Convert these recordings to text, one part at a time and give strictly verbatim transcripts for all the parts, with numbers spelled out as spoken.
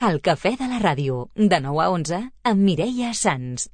El cafè de la ràdio, de nou a onze, amb Mireia Sans.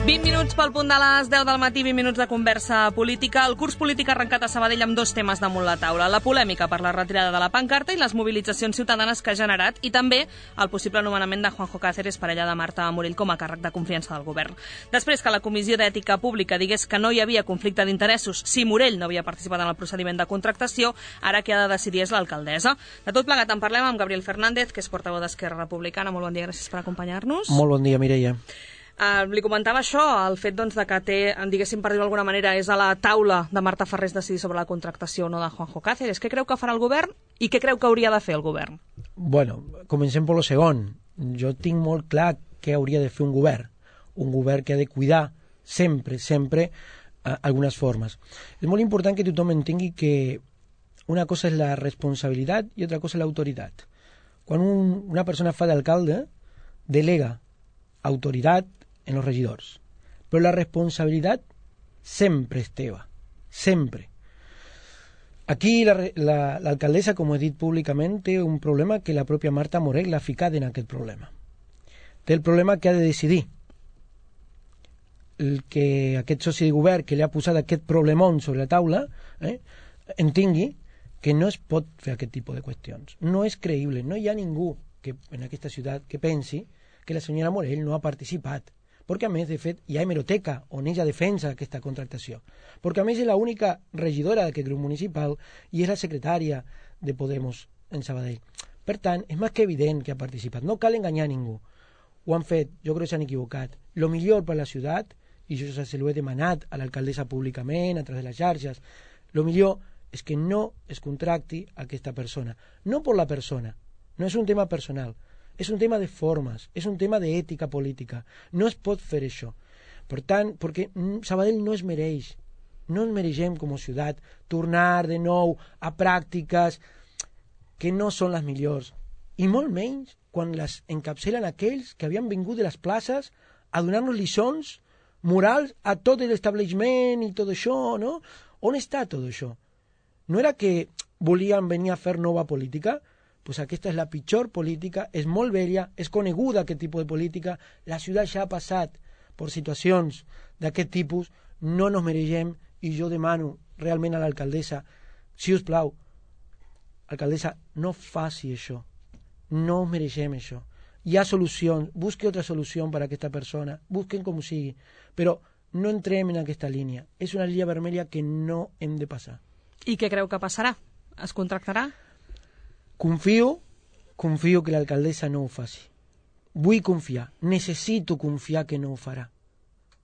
vint minuts pel punt de les deu del matí, vint minuts de conversa política. El curs polític ha arrencat a Sabadell amb dos temes damunt la taula. La polèmica per la retirada de la pancarta i les mobilitzacions ciutadanes que ha generat, i també el possible nomenament de Juanjo Cáceres, parella de Marta Morell, com a càrrec de confiança del govern. Després que la Comissió d'Ètica Pública digués que no hi havia conflicte d'interessos si Morell no havia participat en el procediment de contractació, ara qui ha de decidir és l'alcaldessa. De tot plegat en parlem amb Gabriel Fernández, que és portaveu d'Esquerra Republicana. Molt bon dia, gràcies per acompanyar-nos. Molt bon dia, Mireia. Uh, li comentava això, el fet doncs, de que té, diguéssim, per dir-ho d'alguna manera, és a la taula de Marta Farrés decidir sobre la contractació o no de Juanjo Cáceres. Què creu que farà el govern i què creu que hauria de fer el govern? Bueno, comencem per lo segon. Jo tinc molt clar què hauria de fer un govern. Un govern que ha de cuidar sempre, sempre uh, algunes formes. És molt important que tothom entengui que una cosa és la responsabilitat i altra cosa és l'autoritat. Quan un, una persona fa d'alcalde, delega autoritat en los regidors. Però la responsabilitat sempre és teva. Sempre. Aquí l'alcaldessa, la, la, com he dit públicament, té un problema que la pròpia Marta Morell l'ha ficat en aquest problema. Té el problema que ha de decidir. El que aquest soci de govern que li ha posat aquest problemón sobre la taula eh, entengui que no es pot fer aquest tipus de qüestions. No és creïble. No hi ha ningú que, en aquesta ciutat que pensi que la senyora Morell no ha participat. Perquè, a més, de fet, hi ha hemeroteca on ella defensa aquesta contractació. Perquè, a més, és l'única regidora d'aquest grup municipal i és la secretària de Podemos en Sabadell. Per tant, és més que evident que ha participat. No cal enganyar ningú. Ho han fet, jo crec que s'han equivocat. Lo millor per la ciutat, i jo se l'ho he demanat a l'alcaldessa públicament, a través de les xarxes, lo millor és que no es contracti aquesta persona. No per la persona, no és un tema personal, és un tema de formes, és un tema d'ètica política. No es pot fer això. Per tant, perquè Sabadell no es mereix, no es mereixem com a ciutat tornar de nou a pràctiques que no són les millors. I molt menys quan les encapçalen aquells que havien vingut de les places a donar-nos lliçons morals a tot l'establishment i tot això, no? On està tot això? No era que volien venir a fer nova política? Pues aquesta és la pitjor política, és molt vella, és coneguda aquest tipus de política, la ciutat ja ha passat per situacions d'aquest tipus, no nos mereixem, i jo demano realment a l'alcaldessa, si us plau, alcaldessa, no faci això, no mereixem això. Hi ha solucions, busque altra solució per a aquesta persona, busquen com sigui, però no entrem en aquesta línia. És una línia vermella que no hem de passar. I què creu que passarà? Es contractarà? Confio, confio que l'alcaldessa no ho faci. Vull confiar, necessito confiar que no ho farà.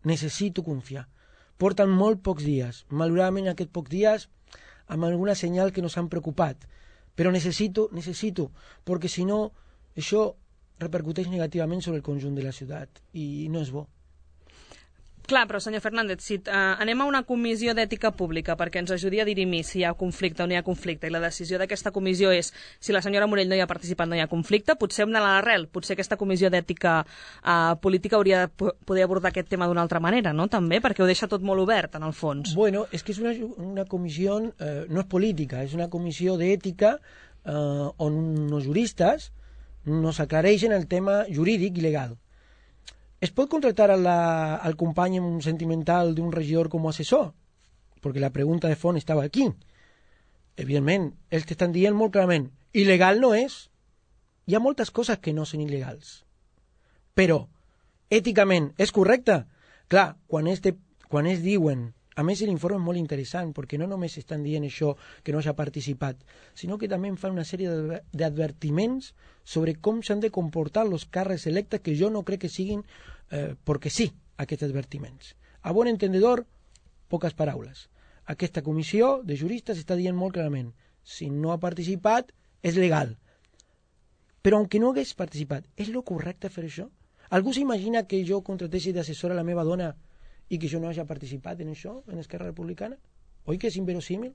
Necessito confiar. Porten molt pocs dies, malauradament aquests pocs dies, amb alguna senyal que no s'han preocupat. Però necessito, necessito, perquè si no, això repercuteix negativament sobre el conjunt de la ciutat i no és bo. Clar, però senyor Fernández, si uh, anem a una comissió d'ètica pública perquè ens ajudi a dirimir si hi ha conflicte o no hi ha conflicte, i la decisió d'aquesta comissió és si la senyora Morell no hi ha participat, no hi ha conflicte, potser hem d'anar a l'arrel, potser aquesta comissió d'ètica uh, política hauria de poder abordar aquest tema d'una altra manera, no? També, perquè ho deixa tot molt obert, en el fons. Bueno, és que és una, una comissió, eh, no és política, és una comissió d'ètica eh, on els juristes nos aclareixen el tema jurídic i legal. Es pot contractar a la, al company sentimental d'un regidor com a assessor? Perquè la pregunta de fons estava aquí. Evidentment, ells t'estan dient molt clarament, il·legal no és. Hi ha moltes coses que no són il·legals. Però, èticament, és correcte? Clar, quan es, de, quan es diuen... A més, l'informe és molt interessant, perquè no només estan dient això que no s'ha participat, sinó que també fan una sèrie d'advertiments sobre com s'han de comportar els càrrecs electes, que jo no crec que siguin eh, perquè sí, aquests advertiments. A bon entendedor, poques paraules. Aquesta comissió de juristes està dient molt clarament, si no ha participat, és legal. Però, aunque no hagués participat, és lo correcte fer això? Algú s'imagina que jo contratessi d'assessora a la meva dona i que jo no hagi participat en això, en Esquerra Republicana? Oi que és inverosímil?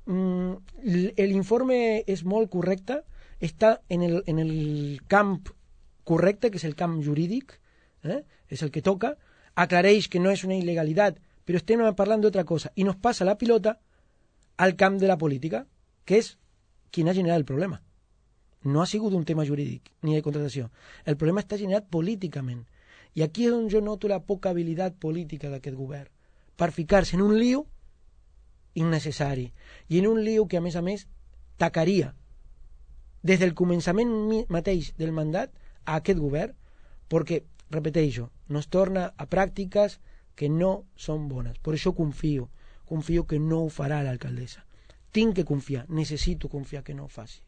Mm, l'informe és molt correcte, està en el, en el camp correcte, que és el camp jurídic, eh? és el que toca, aclareix que no és una il·legalitat, però estem parlant d'altra cosa, i nos passa la pilota al camp de la política, que és quien ha generat el problema. No ha sigut un tema jurídic ni de contratació. El problema està generat políticament. I aquí és on jo noto la poca habilitat política d'aquest govern, per ficar-se en un lío innecessari, i en un lío que, a més a més, tacaria des del començament mateix del mandat a aquest govern, perquè, repeteixo, nos torna a pràctiques que no són bones. Per això confio, confio que no ho farà l'alcaldessa. Tinc que confiar, necessito confiar que no ho faci.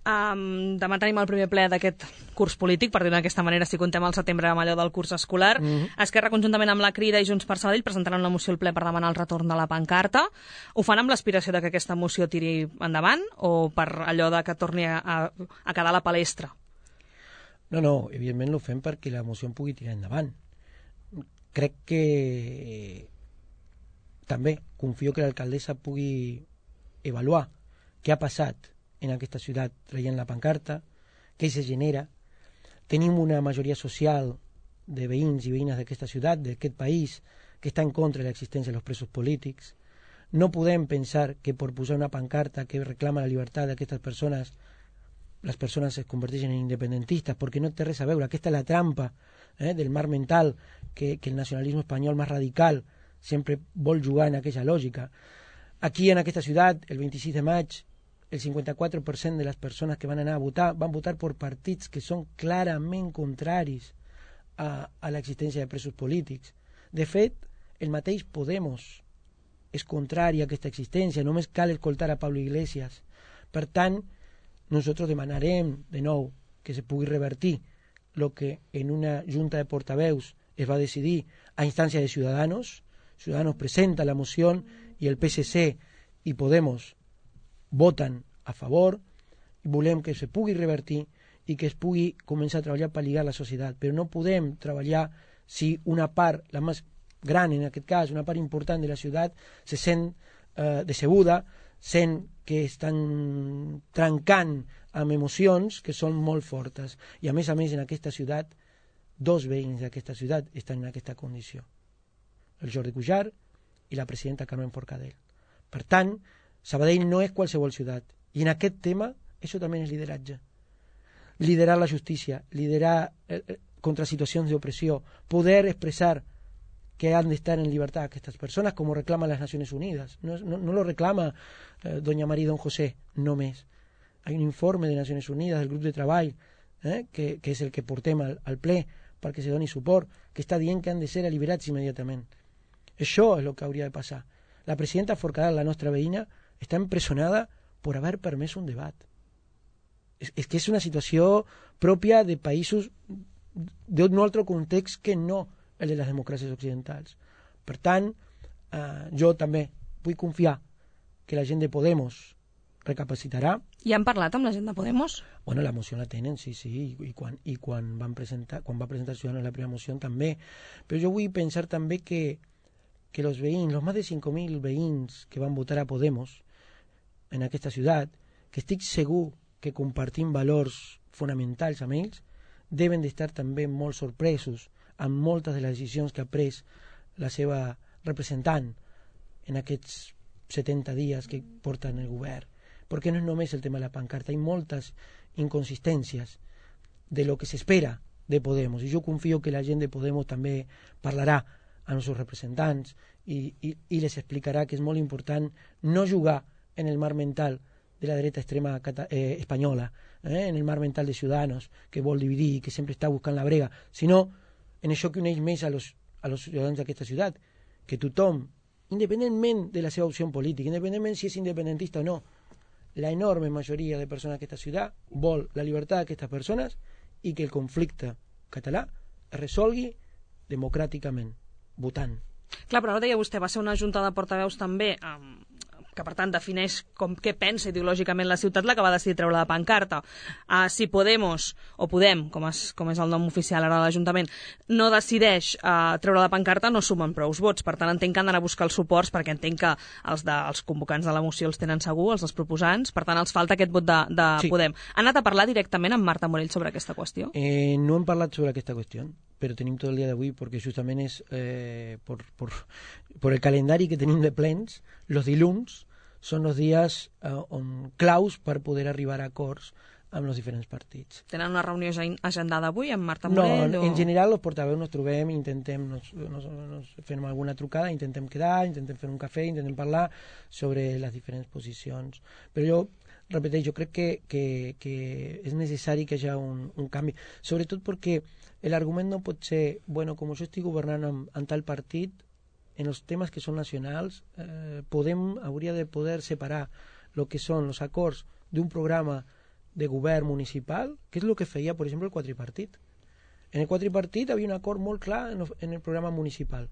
Um, demà tenim el primer ple d'aquest curs polític, per dir-ho d'aquesta manera, si contem al setembre amb allò del curs escolar. Mm-hmm. Esquerra, conjuntament amb la Crida i Junts per Sabadell, presentaran una moció al ple per demanar el retorn de la pancarta. Ho fan amb l'aspiració de que aquesta moció tiri endavant o per allò de que torni a, a quedar a la palestra? No, no, evidentment ho fem perquè la moció en pugui tirar endavant. Crec que també confio que l'alcaldessa pugui avaluar què ha passat en aquesta ciutat traient la pancarta, què se genera. Tenim una majoria social de veïns i veïnes d'aquesta ciutat, d'aquest país, que està en contra de l'existència dels presos polítics. No podem pensar que per posar una pancarta que reclama la llibertat d'aquestes persones, les persones es converteixen en independentistes, perquè no té res a veure. Aquesta és la trampa eh, del mar mental que, que el nacionalisme espanyol més radical sempre vol jugar en aquella lògica. Aquí en aquesta ciutat, el vint-i-sis de maig, el cinquanta-quatre per cent de les persones que van anar a votar van votar per partits que són clarament contraris a, a l'existència de presos polítics. De fet, el mateix Podemos és contrari a aquesta existència, només cal escoltar a Pablo Iglesias. Per tant, nosaltres demanarem de nou que se pugui revertir el que en una junta de portaveus es va decidir a instància de Ciudadanos. Ciudadanos presenta la moció i el P S C i Podemos voten a favor, i volem que se pugui revertir i que es pugui començar a treballar per lligar la societat, però no podem treballar si una part, la més gran en aquest cas, una part important de la ciutat se sent eh, decebuda, sent que estan trencant amb emocions que són molt fortes, i a més a més en aquesta ciutat dos veïns d'aquesta ciutat estan en aquesta condició, el Jordi Cuixart i la presidenta Carmen Forcadell. Per tant, Sabadell no és qualsevol ciutat. I en aquest tema, això també és lideratge. Liderar la justícia, liderar eh, contra situacions d'opressió, poder expressar que han d'estar en llibertat aquestes persones, com ho reclaman les Nacions Unides. No, no, no lo reclama eh, doña María y don José, només. Hay un informe de Nacions Unides, del grup de treball, eh, que, que és el que portem al, al ple perquè se doni suport, que està dient que han de ser alliberats immediatament. Això és el que hauria de passar. La presidenta Forcadell, la nostra veïna, està empresonada per haver permès un debat. És, és que és una situació pròpia de països d'un altre context que no el de les democràcies occidentals. Per tant, eh, jo també vull confiar que la gent de Podemos recapacitarà. I han parlat amb la gent de Podemos? Bueno, la moció la tenen, sí, sí, i quan, i quan, van presentar, quan va presentar Ciudadanos la primera moció també. Però jo vull pensar també que, que los veïns, los más de cinco mil veïns que van votar a Podemos en aquesta ciutat, que estic segur que compartim valors fonamentals amb ells, deben d'estar també molt sorpresos amb moltes de les decisions que ha pres la seva representant en aquests setenta dies que porten el govern. Perquè no és només el tema de la pancarta, hi ha moltes inconsistències de lo que s'espera de Podemos, i jo confio que la gent de Podemos també parlarà amb els seus representants i, i, i les explicarà que és molt important no jugar en el mar mental de la dreta extrema eh, espanyola, eh, en el mar mental de Ciudadanos, que vol dividir i que sempre està buscant la brega, sinó en això que uneix més a los, a los ciutadans d'aquesta ciutat, que tothom, independentment de la seva opció política, independentment si és independentista o no, la enorme majoria de persones d'aquesta ciutat vol la llibertat d'aquestes persones i que el conflicte català es resolgui democràticament, votant. Clar, però ara deia vostè, va ser una junta de portaveus també, eh, que per tant defineix com què pensa ideològicament la ciutat, la que va decidir treure la pancarta. Uh, si Podemos, o Podem, com és, com és el nom oficial ara de l'Ajuntament, no decideix uh, treure la pancarta, no sumen prous vots. Per tant, entenc que han d'anar a buscar els suports, perquè entenc que els, de, els convocants de la moció els tenen segur, els dels proposants, per tant, els falta aquest vot de, de sí. Podem. Han anat a parlar directament amb Marta Morell sobre aquesta qüestió? Eh, no hem parlat sobre aquesta qüestió. però tenim tot el dia d'avui perquè justament és eh, per, per, per el calendari que tenim de plens, els dilluns són els dies eh, on claus per poder arribar a acords amb els diferents partits. Tenen una reunió ja agendada avui amb Marta No, Morell? en o... general els portaveus nos trobem, intentem, nos, nos, nos fem alguna trucada, intentem quedar, intentem fer un cafè, intentem parlar sobre les diferents posicions. Però jo, repeteix, jo crec que, que, que és necessari que hi hagi un, un canvi, sobretot perquè l'argument no pot ser, bueno, com jo estic governant amb, amb tal partit, en els temes que són nacionals, eh, podem, hauria de poder separar el que són els acords d'un programa de govern municipal, que és el que feia, per exemple, el quadripartit. En el quadripartit havia un acord molt clar en el, en el programa municipal,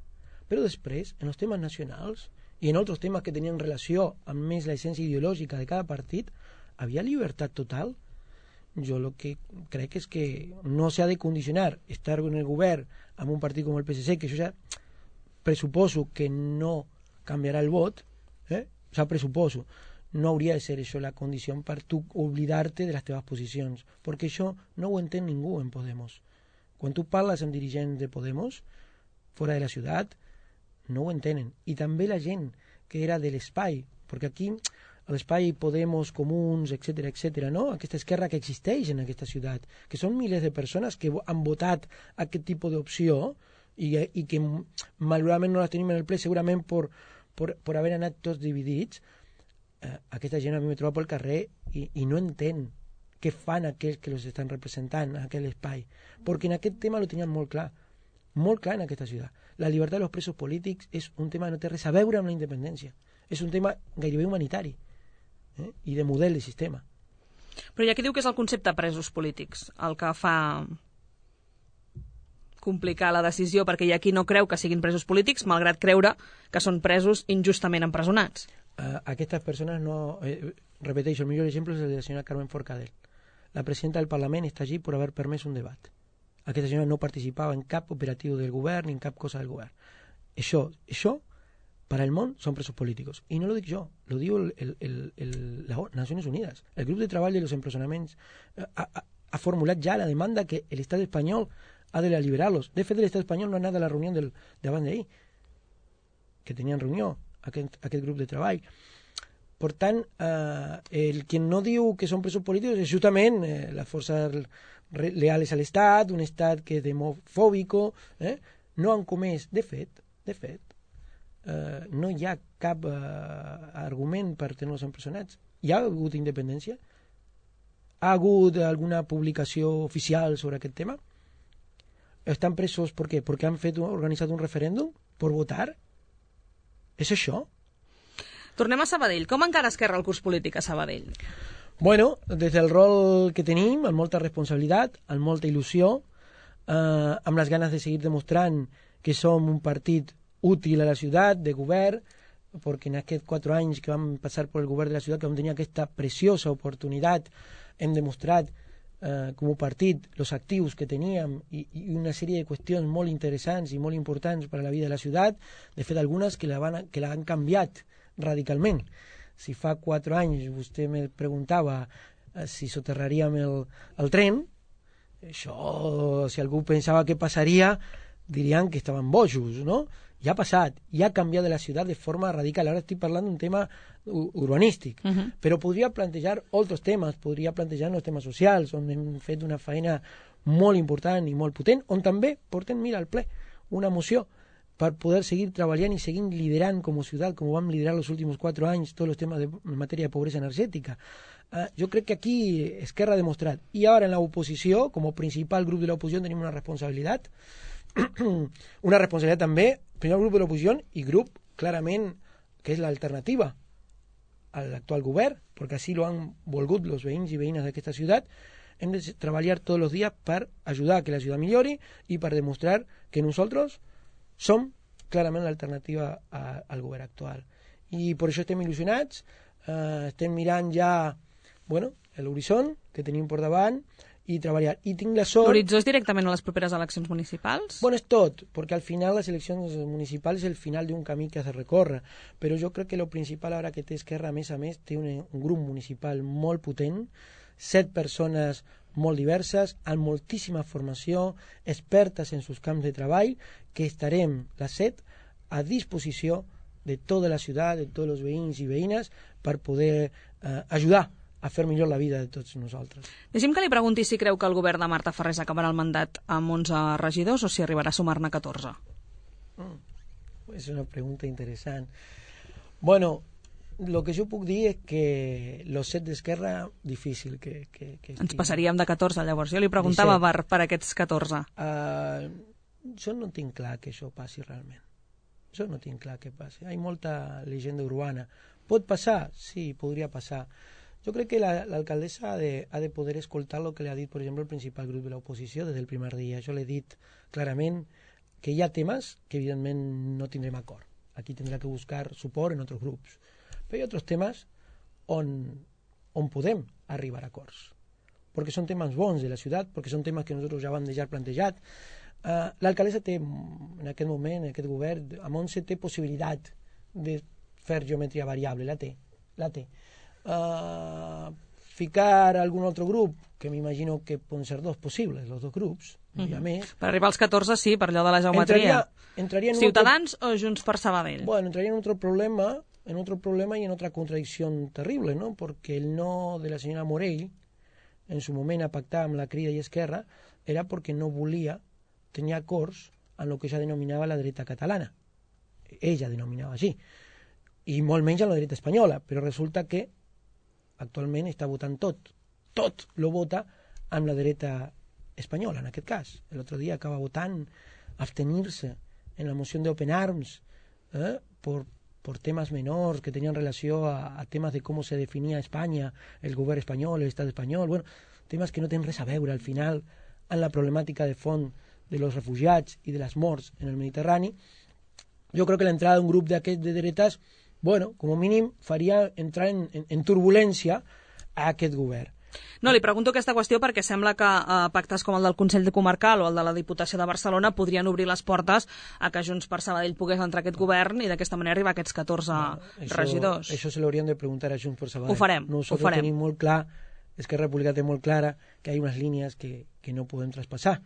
però després, en els temes nacionals i en altres temes que tenien relació amb més la essència ideològica de cada partit, havia llibertat total. Jo el que crec és que no s'ha de condicionar estar en el govern amb un partit com el P S C, que això ja pressuposo que no canviarà el vot, eh? O sigui, pressuposo, no hauria de ser això la condició per tu oblidar-te de les teves posicions, perquè això no ho entén ningú en Podemos. Quan tu parles amb dirigents de Podemos, fora de la ciutat, no ho entenen. I també la gent que era de l'espai, perquè aquí l'espai Podemos, Comuns, etcètera, etcètera, no? Aquesta esquerra que existeix en aquesta ciutat, que són milers de persones que han votat aquest tipus d'opció i, i que malauradament no les tenim en el ple, segurament per, per, per haver anat tots dividits. Eh, aquesta gent a mi me troba pel carrer i, i no entén què fan aquells que els estan representant en aquell espai, perquè en aquest tema lo tenien molt clar, molt clar en aquesta ciutat. La llibertat dels presos polítics és un tema que no té res a veure amb la independència, és un tema gairebé humanitari, eh? I de model de sistema. Però hi ha qui diu que és el concepte presos polítics el que fa complicar la decisió, perquè hi ha qui no creu que siguin presos polítics, malgrat creure que són presos injustament empresonats. Uh, aquestes persones no... Eh, repeteixo, el millor exemple és el de la senyora Carmen Forcadell. La presidenta del Parlament està allí per haver permès un debat. Aquesta senyora no participava en cap operatiu del govern ni en cap cosa del govern. Això, això per al món són presos polítics. I no lo dic jo, lo diu el, el, el, el, les Nacions Unides. El grup de treball de los empresonaments ha, ha, ha formulat ja la demanda que l'estat espanyol ha de liberar-los. De fet, l'estat espanyol no ha anat a la reunió del, d'abans d'ahir, que tenien reunió Aquest, aquest grup de treball. Per tant, eh, el que no diu que són presos polítics és justament eh, les forces leales a l'Estat, un Estat que és demofòbico, eh? No han comès, de fet, de fet, eh, no hi ha cap eh, argument per tenir-los empresonats. Hi ha hagut independència? Ha hagut alguna publicació oficial sobre aquest tema? Estan presos per què? Perquè han fet, organitzat un referèndum? Per votar? És això? Tornem a Sabadell. Com encara Esquerra el curs polític a Sabadell? Bueno, des del rol que tenim, amb molta responsabilitat, amb molta il·lusió, eh, amb les ganes de seguir demostrant que som un partit útil a la ciutat, de govern, perquè en aquests quatre anys que vam passar per el govern de la ciutat, que vam tenir aquesta preciosa oportunitat, hem demostrat eh, com a partit els actius que teníem i, i una sèrie de qüestions molt interessants i molt importants per a la vida de la ciutat, de fet algunes que la, van, que la han canviat radicalment. Si fa quatre anys vostè me preguntava eh, si soterraríem el, el tren, això, si algú pensava que passaria, dirien que estaven bojos, no? Ja ha passat, ja ha canviat de la ciutat de forma radical. Ara estic parlant d'un tema urbanístic, uh -huh. però podria plantejar altres temes, podria plantejar els temes socials, on hem fet una feina molt important i molt potent, on també portem, mira, al ple, una moció per poder seguir treballant i seguir liderant com a ciutat, com ho vam liderar els últims quatre anys, tots els temes de, en matèria de pobresa energètica. Uh, jo crec que aquí Esquerra ha demostrat, i ara en l'oposició, com a principal grup de l'oposició, tenim una responsabilitat, una responsabilitat també, primer grup de l'oposició i grup, clarament, que és l'alternativa a l'actual govern, perquè així lo han volgut els veïns i veïnes d'aquesta ciutat. Hem de treballar tots els dies per ajudar a que la ciutat millori i per demostrar que nosaltres som clarament l'alternativa al govern actual. I per això estem il·lusionats, eh, estem mirant ja bueno, l'horitzó que tenim per davant i treballar. I tinc la sort... L'horitzó és directament a les properes eleccions municipals? Bueno, és tot, perquè al final les eleccions municipals és el final d'un camí que has de recórrer, però jo crec que el principal ara que té Esquerra, a més a més, té un, un grup municipal molt potent, set persones molt diverses, amb moltíssima formació, expertes en sus camps de treball, que estarem les set a disposició de tota la ciutat, de tots els veïns i veïnes, per poder eh, ajudar a fer millor la vida de tots nosaltres. Deixi'm que li pregunti si creu que el govern de Marta Ferrés acabarà el mandat amb onze regidors o si arribarà a sumar-ne catorze. Mm, és una pregunta interessant. Bueno, lo que jo puc dir és que los set d'Esquerra, difícil que... que, que Ens passaríem de catorze, llavors. Jo li preguntava per, per aquests catorze. Uh, jo no tinc clar que això passi realment. Jo no tinc clar que passi. Hi ha molta llegenda urbana. Pot passar? Sí, podria passar. Jo crec que l'alcaldessa ha, de, ha de poder escoltar el que le ha dit, per exemple, el principal grup de l'oposició des del primer dia. Jo l'he dit clarament que hi ha temes que evidentment no tindrem acord. Aquí tindrà que buscar suport en altres grups. Però hi ha altres temes on, on podem arribar a acords. Perquè són temes bons de la ciutat, perquè són temes que nosaltres ja vam deixar plantejat. Uh, l'alcaldessa té, en aquest moment, en aquest govern, amb onze té possibilitat de fer geometria variable, la té, la té. Uh, ficar algun altre grup, que m'imagino que poden ser dos possibles, els dos grups, mm-hmm. hi ha més. Per arribar als catorze, sí, per allò de la geometria. Entraria, entraria en Ciutadans otro... o Junts per Sabadell? Bueno, entraria en otro problema, en otro problema y en otra contradicción terrible, ¿no? Porque el no de la señora Morell, en su moment a pactar amb la Crida i Esquerra, era perquè no volia tenir acords en el que ella denominava la dreta catalana. Ella denominava així. I molt menys en la dreta espanyola, però resulta que actualment està votant tot. Tot lo vota amb la dreta espanyola, en aquest cas. L'altre dia acaba votant abstenir-se en la moció de Open Arms eh, por, por temas menors que tenien relació a, a temes de com se definia Espanya, el govern espanyol, l'estat espanyol, bueno, temes que no tenen res a veure al final en la problemàtica de fons de los refugiats i de les morts en el Mediterrani. Jo crec que l'entrada d'un grup d'aquests de dretes, bueno, com a mínim faria entrar en, en, en turbulència a aquest govern. No, li pregunto aquesta qüestió perquè sembla que eh, pactes com el del Consell Comarcal o el de la Diputació de Barcelona podrien obrir les portes a que Junts per Sabadell pogués entrar a aquest govern i d'aquesta manera arribar a aquests catorze no, això, regidors. Això se l'haurien de preguntar a Junts per Sabadell. Ho farem, Nosaltres ho farem. tenim molt clar, Esquerra Republicana té molt clara que hi ha unes línies que, que no podem traspassar.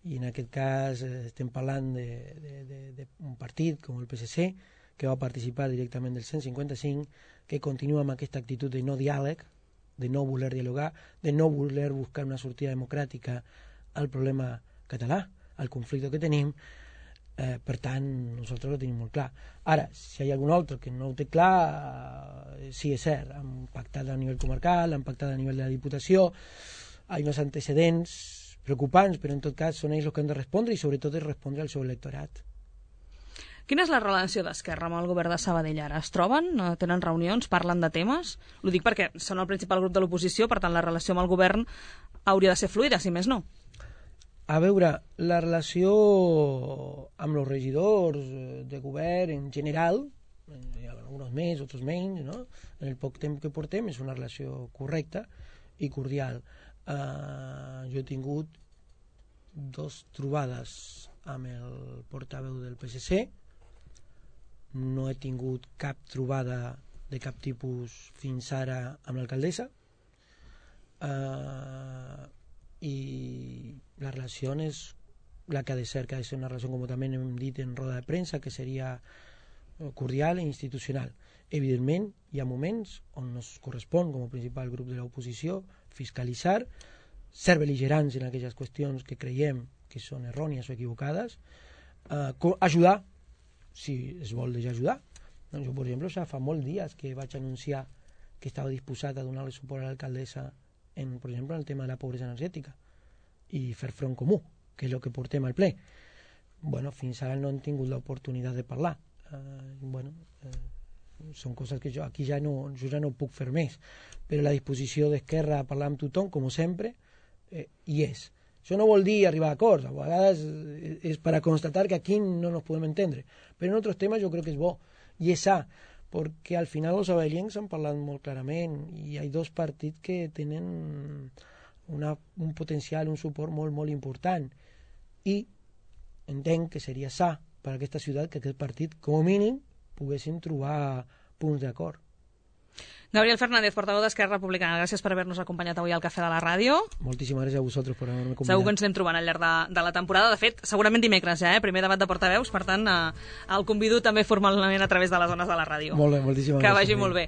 I en aquest cas eh, estem parlant d'un partit com el P S C que va participar directament del cent cinquanta-cinc, que continua amb aquesta actitud de no diàleg, de no voler dialogar, de no voler buscar una sortida democràtica al problema català, al conflicte que tenim. Eh, per tant, nosaltres ho tenim molt clar. Ara, si hi ha algun altre que no ho té clar, eh, sí, és cert, han pactat a nivell comarcal, han pactat a nivell de la Diputació, hi ha uns antecedents preocupants, però en tot cas són ells els que han de respondre i sobretot és respondre al seu electorat. Quina és la relació d'Esquerra amb el govern de Sabadell ara? Es troben? Tenen reunions? Parlen de temes? Ho dic perquè són el principal grup de l'oposició, per tant la relació amb el govern hauria de ser fluida, si més no. A veure, la relació amb els regidors de govern en general, hi ha alguns més, altres menys, no? En el poc temps que portem és una relació correcta i cordial. Uh, jo he tingut dos trobades amb el portaveu del P S C, no he tingut cap trobada de cap tipus fins ara amb l'alcaldessa, uh, i la relació és la que ha de ser, que ha de ser una relació, com també hem dit en roda de premsa, que seria cordial i institucional. Evidentment, hi ha moments on nos correspon, com a principal grup de l'oposició, fiscalitzar, ser bel·ligerants en aquelles qüestions que creiem que són errònies o equivocades, eh, ajudar, si es vol deixar ajudar. Doncs jo, per exemple, ja fa molts dies que vaig anunciar que estava disposat a donar-li suport a l'alcaldessa en, per exemple, en el tema de la pobresa energètica i fer front comú, que és el que portem al ple. Bueno, fins ara no hem tingut l'oportunitat de parlar. Eh, bueno, eh, són coses que jo aquí ja no, jo ja no puc fer més, però la disposició d'Esquerra a parlar amb tothom, com sempre, eh, hi és. Això no vol dir arribar a acords, a vegades és per a constatar que aquí no nos podem entendre, però en altres temes jo crec que és bo i és sa, perquè al final els sabadellencs han parlat molt clarament i hi ha dos partits que tenen una, un potencial, un suport molt, molt important i entenc que seria sa per a aquesta ciutat que aquest partit, com a mínim, poguessin trobar punts d'acord. Gabriel Fernández, portaveu d'Esquerra Republicana, gràcies per haver-nos acompanyat avui al Cafè de la Ràdio. Moltíssimes gràcies a vosaltres per haver-me convidat. Segur que ens anem trobant al llarg de, de la temporada. De fet, segurament dimecres ja, eh? Primer debat de portaveus, per tant, eh, el convido també formalment a través de les zones de la ràdio. Molt bé, moltíssimes que gràcies. vagi molt bé.